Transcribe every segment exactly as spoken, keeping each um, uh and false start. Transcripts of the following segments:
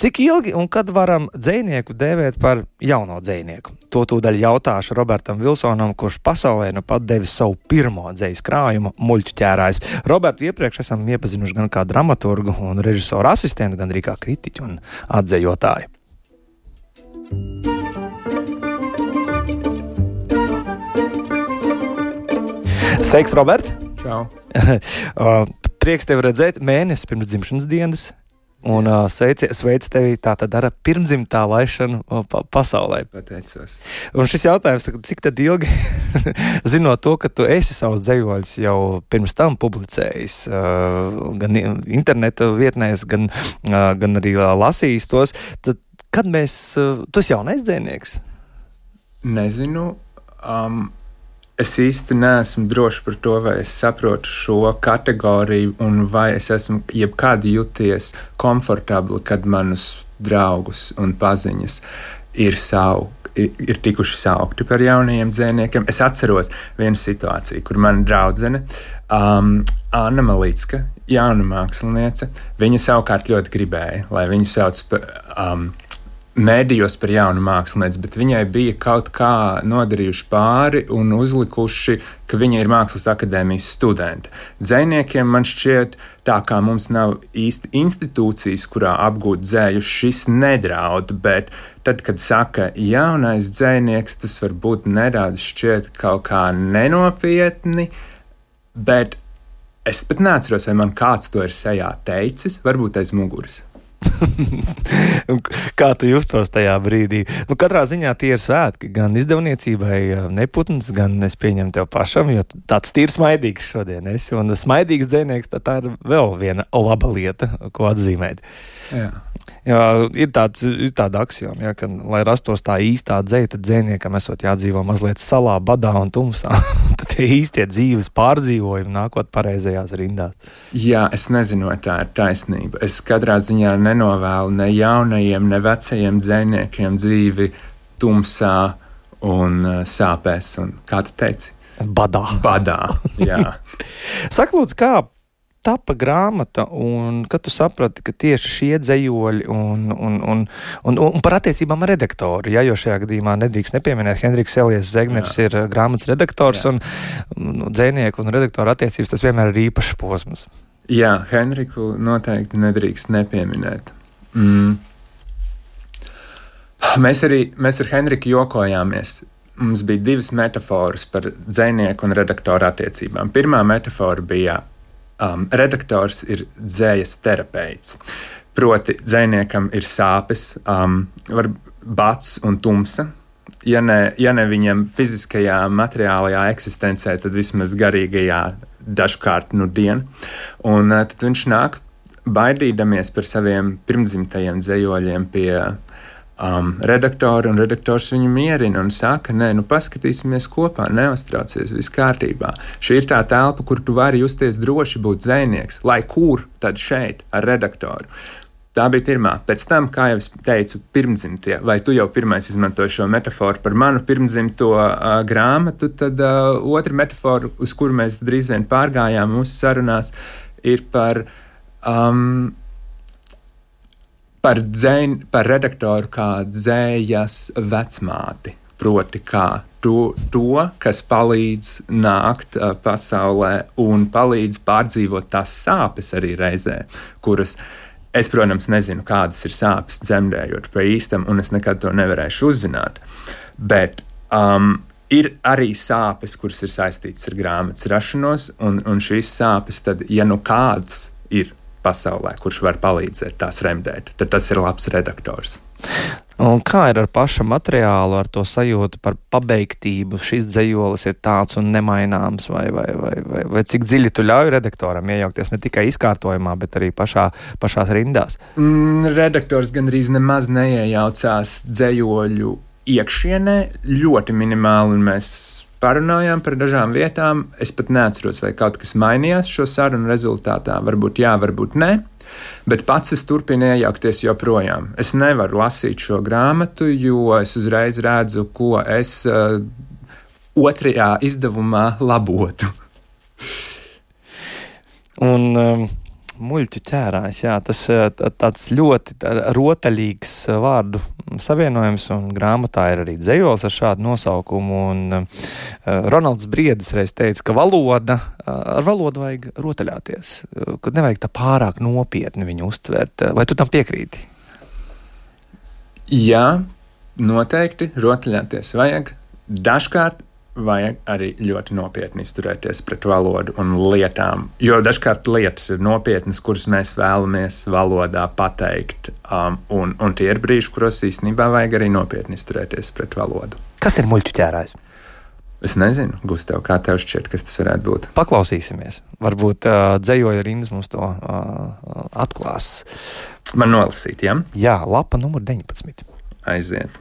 Cik ilgi un kad varam dzejnieku dēvēt par jauno dzejnieku? To tūdaļ jautāšu Robertam Vilsonam, kurš pasaulē nu pat devis savu pirmo dzejas krājumu Muļķu ķērājs. Robertu iepriekš esam iepazinuši gan kā dramaturgu un režisoru asistentu, gan arī kā kritiķu un atdzejotāju. Sveiks, Robert! Čau! Prieks tevi redzēt mēnesi pirms dzimšanas dienas. Un uh, sveic, sveic tevi tātad ar pirmdzimtā laišanu pa pasaulē. Pateicos. Un šis jautājums, cik tad ilgi, zinot to, ka tu esi savus dzejoļus jau pirms tam publicējis, uh, gan interneta vietnēs, gan, uh, gan arī uh, lasījis tos, tad kad mēs, uh, tu esi jaunais dzejnieks? Nezinu. Um, Es īsti neesmu drošs par to, vai es saprotu šo kategoriju un vai es esmu jebkad jūties komfortabli, kad manus draugus un paziņas ir, savu, ir tikuši saukti par jaunajiem dzejniekiem. Es atceros vienu situāciju, kur mana draudzene, um, Anna Malicka, jauna māksliniece, viņa savukārt ļoti gribēja, lai viņu sauc par... Um, mēdījos par jaunu mākslinieci, bet viņai bija kaut kā nodarījuši pāri un uzlikuši, ka viņa ir Mākslas akadēmijas studente. Dzejniekiem man šķiet, tā kā mums nav īsti institūcijas, kurā apgūt dzēju, šis nedraud, bet tad, kad saka jaunais dzejnieks, tas varbūt nedaudz šķiet kaut kā nenopietni, bet es pat neatceros, vai man kāds to ir sejā teicis, varbūt aiz muguras. Kā tu justos tajā brīdī? Nu, katrā ziņā tie ir svētki, gan izdevniecībai Neputns, gan es pieņemu tev pašam, jo tāds tīri smaidīgs šodien esi, un smaidīgs dzejnieks, tā ir vēl viena laba lieta, ko atzīmēt. Jā. Jā, ir, tāds, ir tāda aksioma, ja, ka, lai rastos tā īstā dzeja, tad dzejniekam esot jādzīvo mazliet salā, badā un tumsā. Tad tie īstie dzīves pārdzīvojumi nākot pareizajās rindās. Jā, es nezinu, vai tā ir taisnība. Es katrā ziņā nenovēlu ne jaunajiem, ne vecajiem dzejniekiem dzīvi tumsā un uh, sāpēs. Un, kā tu teici? Badā. Badā, jā. Saka, lūdzu, kā tapa grāmata, un kad tu saprati, ka tieši šie dzejoļi un, un, un, un, un par attiecībām ar redaktoru, ja, jo šajā gadījumā nedrīkst nepieminēt, Henriks Elijas Zegners Jā. ir grāmatas redaktors, Jā. un, un dzejnieku un redaktoru attiecības tas vienmēr ir īpašs posms. Jā, Henriku noteikti nedrīkst nepieminēt. Mm. Mēs arī mēs ar Henriku jokojāmies. Mums bija divas metaforas par dzejnieku un redaktoru attiecībām. Pirmā metafora bija Um, redaktors ir dzējas terapeits. Proti, dzejniekam ir sāpes, um, var bats un tumsa. Ja ne, ja ne viņam fiziskajā, materiālajā eksistencē, tad vismaz garīgajā dažkārt nu dien. Un uh, tad viņš nāk baidīdamies par saviem pirmdzimtajiem dzejoļiem pie um, redaktora, un redaktors viņu mierina un saka, nē, nu paskatīsimies kopā, neuztraucies, viss kārtībā. Šī ir tā telpa, kur tu vari justies droši būt dzejnieks, lai kur tad šeit ar redaktoru. Tā bija pirmā. Pēc tam, kā jau es teicu, pirmdzimtie, vai tu jau pirmais izmantoji šo metaforu par manu pirmdzimto uh, grāmatu, tad uh, otra metafora, uz kuru mēs drīz vien pārgājām mūsu sarunās, ir par... Um, Par, dzēn, par redaktoru kā dzējas vecmāti, proti kā to, to kas palīdz nākt uh, pasaulē un palīdz pārdzīvot tās sāpes arī reizē, kuras es, protams, nezinu, kādas ir sāpes dzemdējot pa īstam, un es nekad to nevarēšu uzzināt. Bet um, ir arī sāpes, kuras ir saistītas ar grāmatas rašanos, un, un šīs sāpes, tad, ja nu kāds ir pasaulē, kurš var palīdzēt tās remdēt, tad tas ir labs redaktors. Un kā ir ar paša materiālu, ar to sajūtu par pabeigtību? Šis dzejolis ir tāds un nemaināms, vai, vai, vai, vai, vai cik dziļi tu ļauj redaktoram iejaukties ne tikai izkārtojumā, bet arī pašā, pašās rindās? Mm, redaktors gandrīz nemaz neiejaucās dzejoļu iekšienē, ļoti minimāli, un mēs parunājām par dažām vietām. Es pat neatceros, vai kaut kas mainījās šo sarunu rezultātā. Varbūt jā, varbūt nē. Bet pats es turpinu iejaukties joprojām. Es nevaru lasīt šo grāmatu, jo es uzreiz redzu, ko es uh, otrajā izdevumā labotu. Un um, Muļķu ķērājs, jā, tas tāds ļoti rotaļīgs vārdu savienojums, un grāmatā ir arī dzejols ar šādu nosaukumu, un uh, Ronalds Briedis reiz teica, ka valoda, ar valodu vajag rotaļāties, ka nevajag tā pārāk nopietni viņu uztvert. Vai tu tam piekrīti? Jā, noteikti rotaļāties vajag. Dažkārt vajag arī ļoti nopietni izturēties pret valodu un lietām, jo dažkārt lietas ir nopietnas, kuras mēs vēlamies valodā pateikt, um, un, un tie ir brīži, kuros īstenībā vajag arī nopietni izturēties pret valodu. Kas ir muļķu ķērājs? Es nezinu, Gustav, kā tev šķiet, kas tas varētu būt? Paklausīsimies. Varbūt uh, dzejoja rindas mums to uh, atklās. Man nolasīt, ja? Jā, lapa numur deviņpadsmit. Aiziet.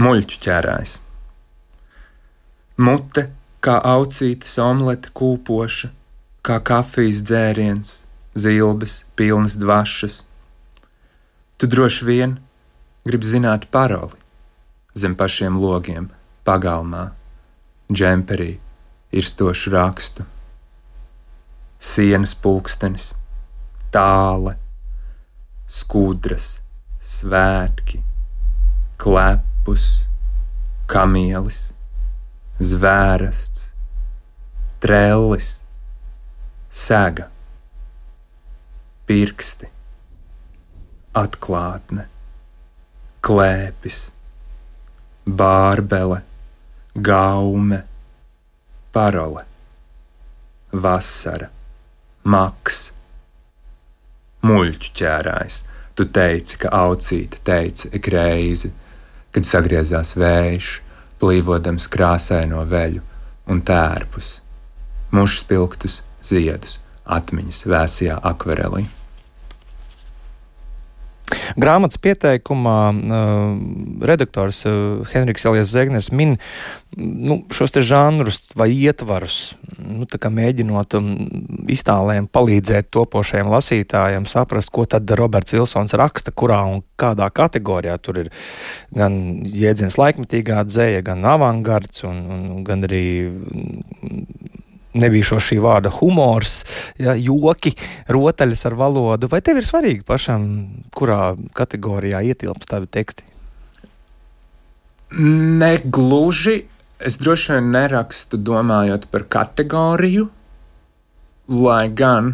Muļķu ķērājs. Mute kā aucītes omlete kūpoša, kā kafijas dzēriens, zilbes pilnas dvašas. Tu droši vien gribi zināt paroli zem pašiem logiem, pagalmā, džemperī, irstošu rakstu. Sienas pulkstenis, tāle, skudras, svētki, klepus, kamielis, zvērasts, trellis, sega, pirksti, atklātne, klēpis, bārbele, gaume, parole, vasara, maks, muļķu ķērājs. Tu teici, ka aucīte teica ik reizi, kad sagriezās vējš, plīvodams krāsaino veļu un tērpus, mušspilktus ziedus, atmiņas vēsajā akvarelī. Grāmatas pieteikumā uh, redaktors uh, Henriks Elijas Zegners min nu, šos te žanrus vai ietvarus, nu, tā kā mēģinot um, iztālēm palīdzēt topošajiem lasītājiem saprast, ko tad Roberts Vilsons raksta, kurā un kādā kategorijā. Tur ir gan jēdziens laikmetīgā dzeja, gan avangards, un, un gan arī nebija šo šī vārda humors, ja, joki, rotaļas ar valodu. Vai tev ir svarīgi pašam, kurā kategorijā ietilpst tavi teksti? Ne gluži. Es droši vien nerakstu domājot par kategoriju, lai gan,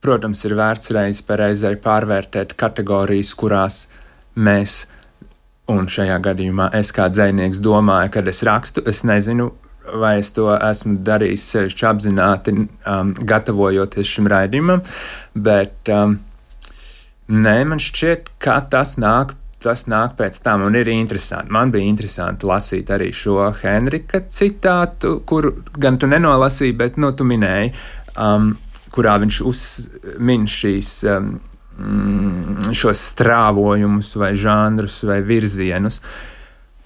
protams, ir vērts reiz pareizai pārvērtēt kategorijas, kurās mēs, un šajā gadījumā es kā dzejnieks domāju, kad es rakstu, es nezinu, vai es to esmu darījis sevišķi apzināti, um, gatavojoties šim raidījumam, bet um, nē, man šķiet, ka tas nāk, tas nāk pēc tam, un ir interesanti. Man bija interesanti lasīt arī šo Henrika citātu, kuru gan tu nenolasīji, bet, nu, tu minēji, um, kurā viņš uzmin šīs, um, šos strāvojumus vai žanrus vai virzienus.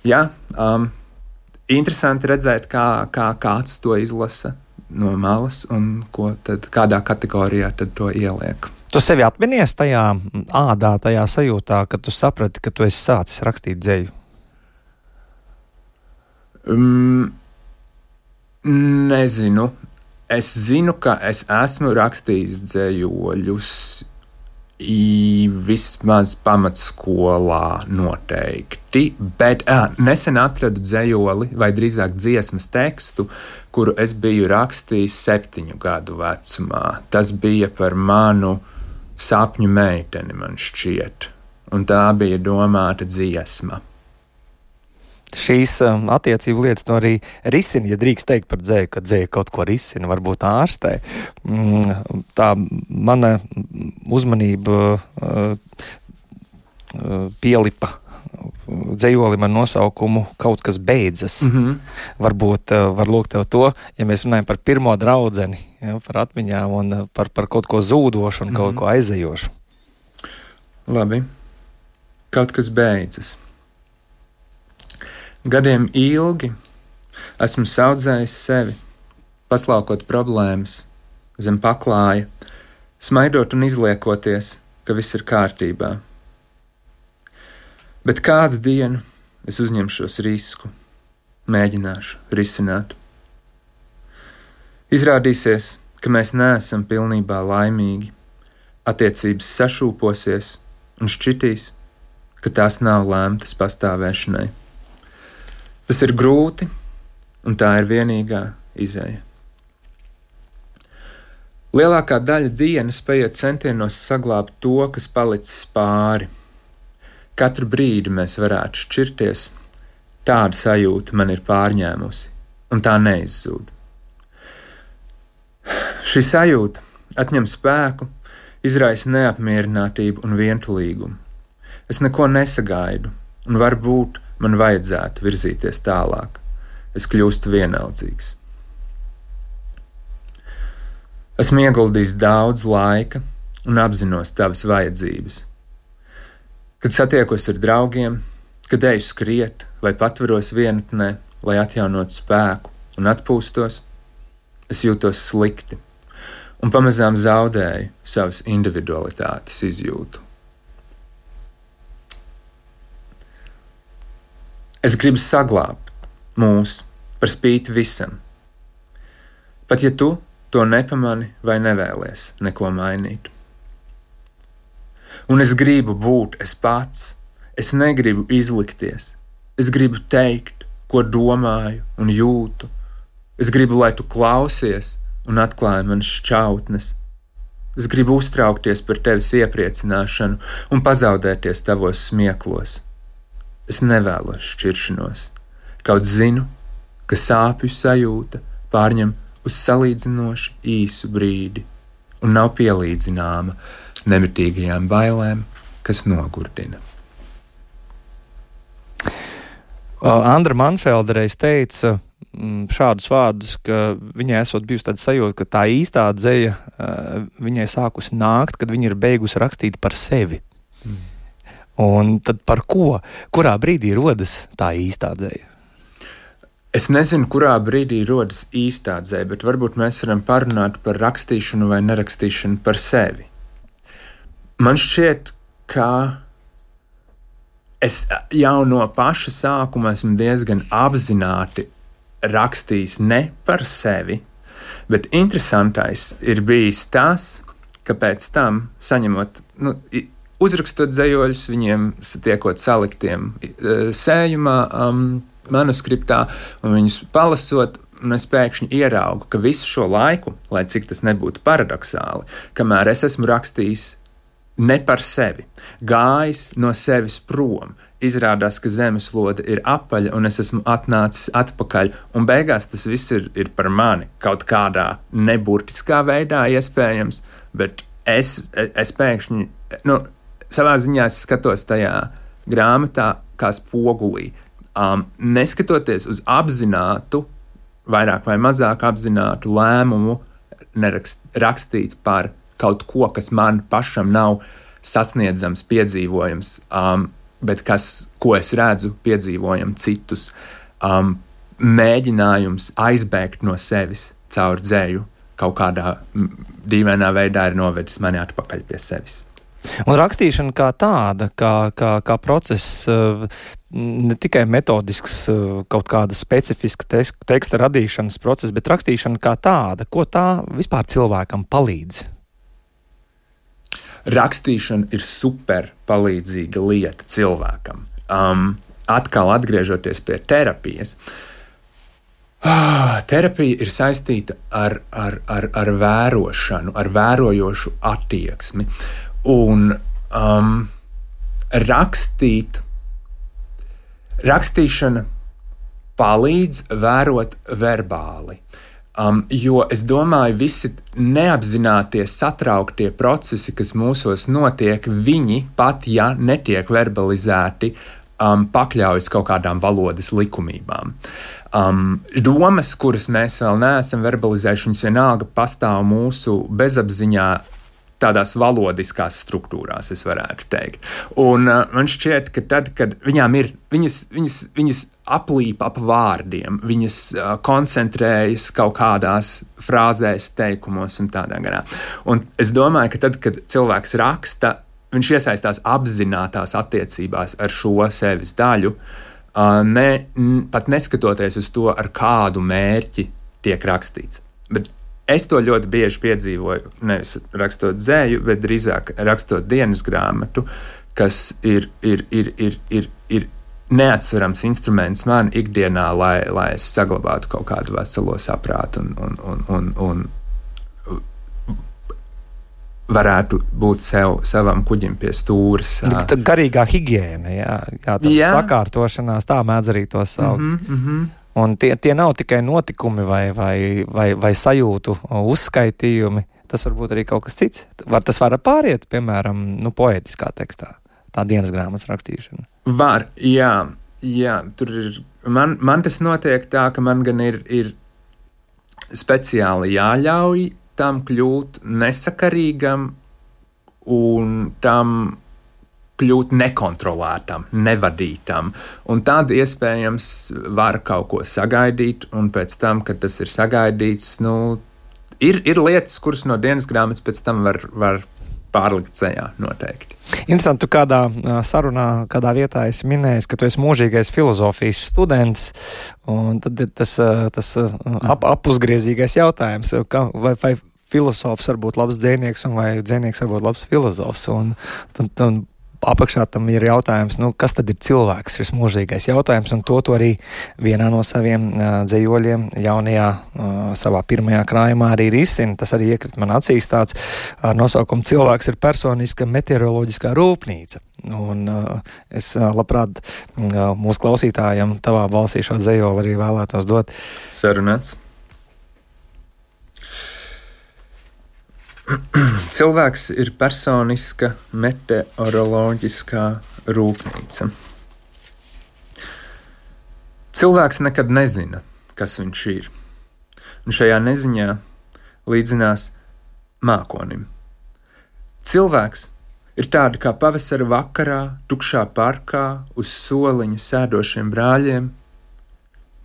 Jā, um, interesanti redzēt, kā, kā kāds to izlasa no malas un ko tad, kādā kategorijā tad to ieliek. Tu sevi atminies tajā ādā, tajā sajūtā, kad tu saprati, ka tu esi sācis rakstīt dzeju? Um, nezinu. Es zinu, ka es esmu rakstījis dzejoļus vismaz pamatskolā noteikti, bet ā, nesen atradu dzejoli, vai drīzāk dziesmas tekstu, kuru es biju rakstījis septiņu gadu vecumā. Tas bija par manu sapņu meiteni, man šķiet, un tā bija domāta dziesma. Šīs um, attiecību lietas to arī risina, ja drīkst teikt par dzeju, ka dzeja kaut ko risina, varbūt ārstē. Mm, tā mana uzmanība uh, uh, pielipa dzejolim ar nosaukumu Kaut kas beidzas. Mm-hmm. Varbūt uh, var lūgt tev to, ja mēs runājam par pirmo draudzeni, ja, par atmiņām un uh, par, par kaut ko zūdošu un mm-hmm. kaut ko aizejošu. Labi. Kaut kas beidzas. Gadiem ilgi esmu saudzējis sevi, paslaukot problēmas zem paklāja, smaidot un izliekoties, ka viss ir kārtībā. Bet kādu dienu es uzņemšos risku, mēģināšu risināt. Izrādīsies, ka mēs neesam pilnībā laimīgi, attiecības sašūposies un šķitīs, ka tās nav lēmtas pastāvēšanai. Tas ir grūti, un tā ir vienīgā izeja. Lielākā daļa dienas paiet centienos saglābt to, kas palicis pāri. Katru brīdi mēs varētu šķirties, tāda sajūta man ir pārņēmusi, un tā neizzūd. Šī sajūta atņem spēku, izraisa neapmierinātību un vientulīgumu. Es neko nesagaidu, un varbūt man vajadzētu virzīties tālāk. Es kļūstu vienaldzīgs. Esmu ieguldījis daudz laika un apzinos tavas vajadzības. Kad satiekos ar draugiem, kad eju skriet vai patveros vienatnē, lai atjaunotu spēku un atpūstos, es jūtos slikti un pamazām zaudēju savas individualitātes izjūtu. Es gribu saglābt mūs par spīti visam. Pat ja tu to nepamani vai nevēlies neko mainīt. Un es gribu būt es pats, es negribu izlikties, es gribu teikt, ko domāju un jūtu. Es gribu, lai tu klausies un atklāji manas šķautnes. Es gribu uztraukties par tevis iepriecināšanu un pazaudēties tavos smieklos. Es nevēlos šķiršanos, kaut zinu, ka sāpju sajūta pārņem uz salīdzinoši īsu brīdi un nav pielīdzināma nemitīgajām bailēm, kas nogurdina. Andra Manfelda reiz teica šādus vārdus, ka viņai esot bijusi tāda sajūta, ka tā īstā dzeja viņai sākusi nākt, kad viņa ir beigusi rakstīt par sevi. Mm. Un tad par ko? Kurā brīdī rodas tā īstā dzeja? Es nezinu, kurā brīdī rodas īstā dzeja, bet varbūt mēs varam parunāt par rakstīšanu vai nerakstīšanu par sevi. Man šķiet, ka es jau no paša sākuma esmu diezgan apzināti rakstījis ne par sevi, bet interesantais ir bijis tas, ka pēc tam saņemot, nu, uzrakstot dzejoļus, viņiem satiekot saliktiem sējumā, um, manuskriptā, un viņus palasot, un es pēkšņi ieraugu, ka visu šo laiku, lai cik tas nebūtu paradoxāli, kamēr es esmu rakstījis ne par sevi, gājis no sevis prom, izrādās, ka zemeslode ir apaļa, un es esmu atnācis atpakaļ, un beigās tas viss ir, ir par mani, kaut kādā neburtiskā veidā iespējams, bet es, es pēkšņi, nu, savā ziņā es skatos tajā grāmatā kā spogulī, Um, neskatoties uz apzinātu, vairāk vai mazāk apzinātu lēmumu nerakst, rakstīt par kaut ko, kas man pašam nav sasniedzams, piedzīvojams, um, bet kas, ko es redzu, piedzīvojam citus, um, mēģinājums aizbēgt no sevis caur dzēju kaut kādā dīvainā veidā ir novedis mani atpakaļ pie sevis. Un rakstīšana kā tāda, kā, kā, kā process, ne tikai metodisks, kaut kāda specifiska teksta radīšanas process, bet rakstīšana kā tāda, ko tā vispār cilvēkam palīdz? Rakstīšana ir super palīdzīga lieta cilvēkam. Um, atkal atgriežoties pie terapijas. Ah, terapija ir saistīta ar, ar, ar, ar vērošanu, ar vērojošu attieksmi. Un um, rakstīt, rakstīšana palīdz vērot verbāli, um, jo es domāju, visi neapzinātie satrauktie procesi, kas mūsos notiek, viņi pat, ja netiek verbalizēti, um, pakļaujas kaut kādām valodas likumībām. Um, domas, kuras mēs vēl neesam verbalizējuši, viņas vienalga pastāv mūsu bezapziņā, tādās valodiskās struktūrās, es varētu teikt. Un uh, man šķiet, ka tad, kad viņām ir, viņas, viņas, viņas aplīp ap vārdiem, viņas uh, koncentrējas kaut kādās frāzēs, teikumos un tādā garā. Un es domāju, ka tad, kad cilvēks raksta, viņš iesaistās apzinātās attiecībās ar šo sevis daļu, uh, ne, n, pat neskatoties uz to, ar kādu mērķi tiek rakstīts. Bet es to ļoti bieži piedzīvoju, nevis rakstot dzēju, bet drīzāk rakstot dienas grāmatu, kas ir, ir, ir, ir, ir, ir neatsverams instruments man ikdienā, lai, lai es saglabātu kaut kādu veselo saprātu un, un, un, un, un varētu būt sev, savam kuģim pie stūres. Tā garīgā higiēna, jā, jā, tā jā. Sakārtošanās, tā mēdz arī to saukt. Mm-hmm, mm-hmm. Un tie, tie nav tikai notikumi vai, vai, vai, vai sajūtu uzskaitījumi, tas var būt arī kaut kas cits. Var, tas var pāriet, piemēram, nu, poētiskā tekstā, tā dienas grāmatas rakstīšana. Var, jā, jā, tur ir, man, man tas notiek tā, ka man gan ir, ir speciāli jāļauj tam kļūt nesakarīgam un tam kļūt nekontrolētam, nevadītam. Un tad iespējams var kaut ko sagaidīt, un pēc tam, kad tas ir sagaidīts, nu, ir, ir lietas, kuras no dienas grāmatas pēc tam var, var pārlikt ceļā noteikti. Interesanti, tu kādā sarunā, kādā vietā esi minējis, ka tu esi mūžīgais filozofijas students, un tad ir tas, tas ap, apuzgriezīgais jautājums, ka, vai, vai filozofs var būt labs dzejnieks, un vai dzejnieks var būt labs filozofs, un tad, tad apakšā tam ir jautājums, nu, kas tad ir cilvēks, šis mūžīgais jautājums, un to tu arī vienā no saviem uh, dzejoļiem jaunajā uh, savā pirmajā krājumā arī risina. Tas arī iekrit man acīs tāds ar nosaukumu cilvēks ir personiska meteoroloģiskā rūpnīca. Un uh, es uh, labprāt uh, mūsu klausītājiem tavā balsī šo dzejoli arī vēlētos dot. Sarunāts. Cilvēks ir personiska meteoroloģiskā rūpnīca. Cilvēks nekad nezina, kas viņš ir, un šajā neziņā līdzinās mākonim. Cilvēks ir tādi kā pavasara vakarā, tukšā parkā, uz soliņa sēdošiem brāļiem,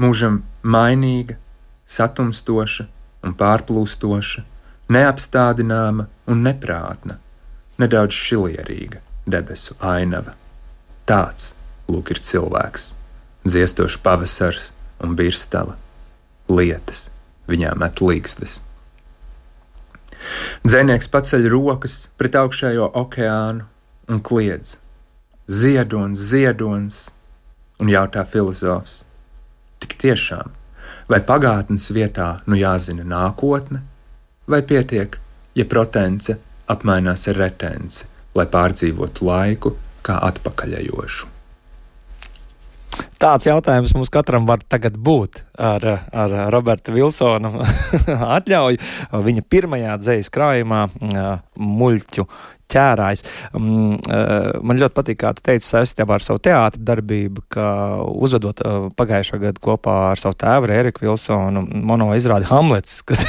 mūžam mainīga, satumstoša un pārplūstoša, neapstādināma un neprātna, nedaudz šilierīga debesu ainava. Tāds, lūk, ir cilvēks, dziestošs pavasars un birstala, lietas, viņā met līgstas. Dzejnieks paceļ rokas pret augšējo okeānu un kliedz: ziedons, ziedons, un jautā filozofs: tik tiešām, vai pagātnes vietā nu jāzina nākotne, vai pietiek, ja protence apmainās ar retenci, lai pārdzīvotu laiku kā atpakaļejošu? Tāds jautājums mums katram var tagad būt ar, ar Roberta Vilsona atļauju. Viņa pirmajā dzejas krājumā Muļķu ķērājs. Man ļoti patīk, kā tu teici saistībā ar savu teātra darbību, ka uzvedot pagājušā gada kopā ar savu tēvu Ēriku Vilsonu mono izrādi Hamlets, kas,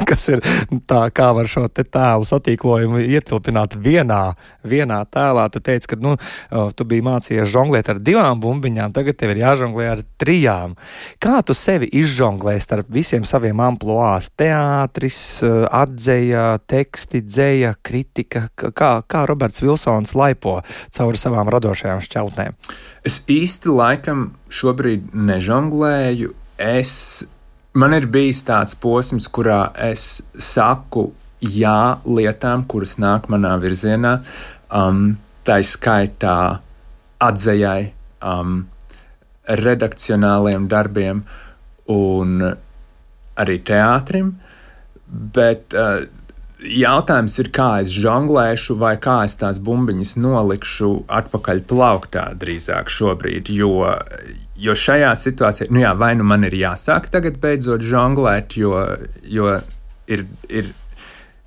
kas ir tā, kā var šo te tēlu satīklojumu ietilpināt vienā, vienā tēlā. Tu teici, ka nu, tu biji mācījies žonglēt ar divām bumbiņām, tagad tev ir jāžonglē ar trijām. Kā tu sevi izžonglē starp visiem saviem amploās? Teātris, atdzeja, teksti, dzeja, kritika, kā Kā, kā Roberts Vilsons laipo cauri savām radošajām šķautnēm? Es īsti laikam šobrīd nežonglēju. Es, man ir bijis tāds posms, kurā es saku jā lietām, kuras nāk manā virzienā. Um, tā skaitā atzejai, um, redakcionāliem darbiem un arī teātrim. Bet uh, jautājums ir, kā es žonglēšu vai kā es tās bumbiņas nolikšu atpakaļ plauktā drīzāk šobrīd, jo, jo šajā situācijā, nu jā, vai nu man ir jāsāk tagad beidzot žonglēt, jo, jo, ir, ir,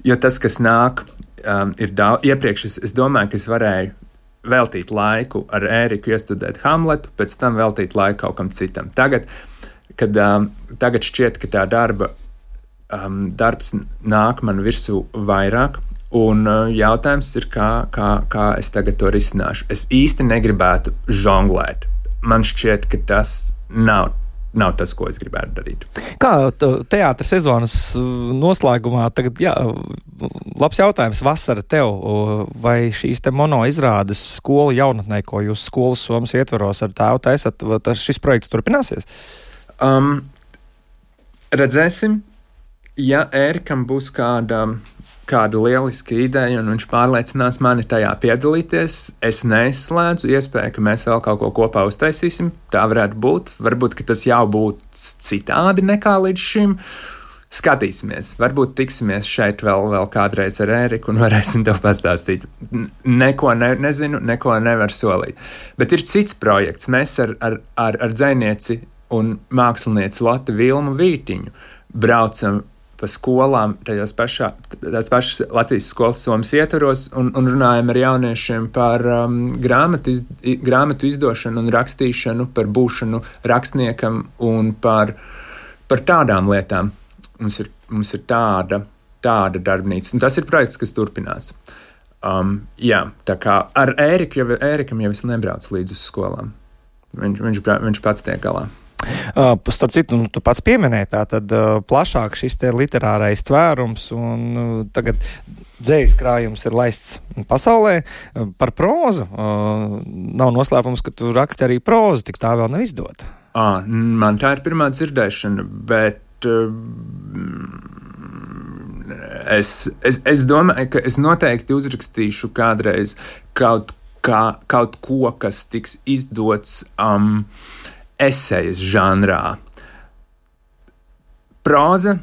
jo tas, kas nāk, um, ir daudz. Iepriekš es, es domāju, ka es varēju veltīt laiku ar Ēriku iestudēt Hamletu, pēc tam veltīt laiku kaut kam citam. Tagad, kad, um, tagad šķiet, ka tā darba Um, darbs nāk man virsū vairāk, un uh, jautājums ir, kā, kā, kā es tagad to risināšu. Es īsti negribētu žonglēt. Man šķiet, ka tas nav, nav tas, ko es gribētu darīt. Kā teātra sezonas noslēgumā tagad, jā, labs jautājums, vasara tev, vai šīs te mono izrādes skolu jaunatnē, ko jūs skolas somas ietvaros ar tēvu taisat, šis projekts turpināsies? Um, redzēsim. ja Ērikam būs kāda, kāda lieliska ideja un viņš pārliecinās mani tajā piedalīties, es neizslēdzu iespēju, ka mēs vēl kaut ko kopā uztaisīsim. Tā varētu būt. Varbūt, ka tas jau būtu citādi nekā līdz šim. Skatīsimies. Varbūt tiksimies šeit vēl, vēl kādreiz ar Ēriku un varēsim tev pastāstīt. Neko ne, nezinu, neko nevar solīt. Bet ir cits projekts. Mēs ar, ar, ar, ar dzejnieci un mākslinieci Lotu Vilmu Vītiņu braucam pa skolām, tajās pašā, tās pašas Latvijas skolas Somas ietvaros un, un runājam ar jauniešiem par um, grāmatu, iz, grāmatu izdošanu un rakstīšanu, par būšanu rakstniekam un par, par tādām lietām. Mums ir, mums ir tāda, tāda darbnīca. Un tas ir projekts, kas turpinās. Um, jā, tā kā ar Ēriku, jau, Ērikam jau es nebraucu līdz uz skolām. Viņš, viņš, viņš pats tiek galā. Uh, starp citu, tu pats pieminēji tā, tad uh, plašāk šis te literārais tvērums un uh, tagad dzējas krājums ir laists pasaulē uh, par prózu. Uh, nav noslēpums, ka tu raksti arī prózu, tik tā vēl nav izdota. À, man tā ir pirmā dzirdēšana, bet Es, es, es domāju, ka es noteikti uzrakstīšu kādreiz kaut, kā, kaut ko, kas tiks izdots um, esejas žanrā. Próza,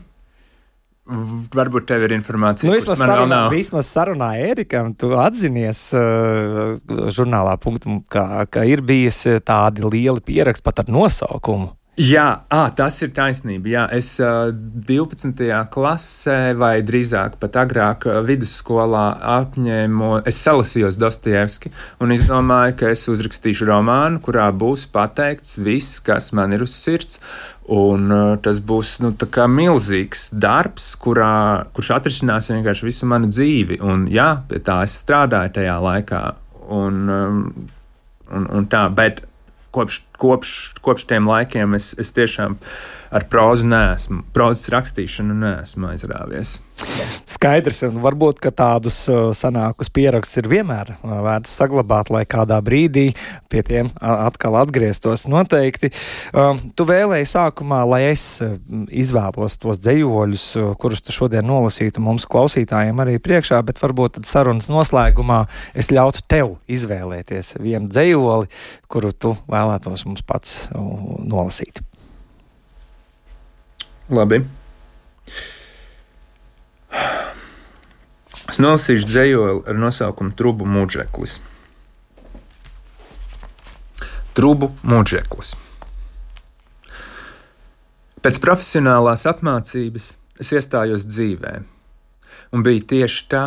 varbūt tev ir informācija, nu, kuras man sarunā, vēl nav. Vismaz sarunā Ērikam, tu atzinies uh, žurnālā punktu, ka, ka ir bijis tādi lieli pieraksti pat ar nosaukumu. Jā, à, tas ir taisnība. Jā, es uh, divpadsmitajā klasē, vai drīzāk pat agrāk uh, vidusskolā apņēmu, es salasījos Dostojevski un izdomāju, ka es uzrakstīšu romānu, kurā būs pateikts viss, kas man ir uz sirds. Un uh, tas būs nu, tā kā milzīgs darbs, kurā, kurš atrisinās vienkārši visu manu dzīvi. Un jā, pie tā es strādāju tajā laikā. Un, um, un, un tā, bet Kopš, kopš, kopš tiem laikiem es, es tiešām ar prózu neesmu, prózas rakstīšanu neesmu aizrāvies. Skaidrs, un varbūt, ka tādus sanākus pierakstus ir vienmēr vērts saglabāt, lai kādā brīdī pie tiem atkal atgrieztos noteikti. Tu vēlēji sākumā, lai es izvēlos tos dzejoļus, kurus tu šodien nolasītu mums klausītājiem arī priekšā, bet varbūt tad sarunas noslēgumā es ļautu tev izvēlēties vienu dzejoli, kuru tu vēlētos mums pats nolasīt. Labi. Es nolasīšu dzejoli ar nosaukumu Trubu muģeklis. Trubu muģeklis. Pēc profesionālās apmācības es iestājos dzīvē, un bija tieši tā,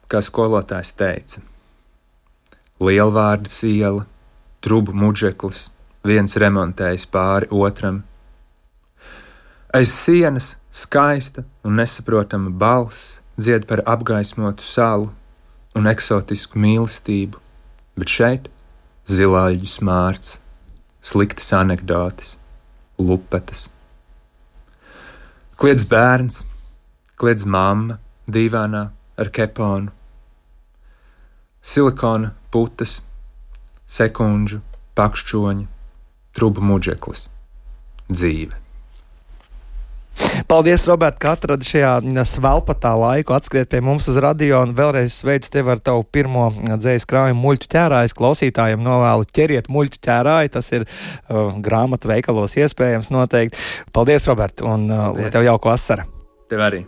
kā skolotājs teica. Lielvārdas iela, Trubu muģeklis, viens remontējis pāri otram. Aiz sienas skaista un nesaprotama balss dzied par apgaismotu salu un eksotisku mīlestību, bet šeit zilāļu smārds, sliktas anekdotes, lupetas. Kliedz bērns, kliedz mamma dīvānā ar keponu, silikona putas, sekundžu, pakšķoņi, trubu muģeklis, dzīve. Paldies, Robert, ka atradi šajā svelpatā laiku atskriet pie mums uz radio un vēlreiz sveicu tevi ar tavu pirmo dzējas krājumu Muļķu ķērājs. Klausītājiem novēlu ķeriet Muļķu ķērāju, tas ir uh, grāmatu veikalos iespējams noteikti. Paldies, Robert, un uh, lai tev jauka vasara. Tev arī.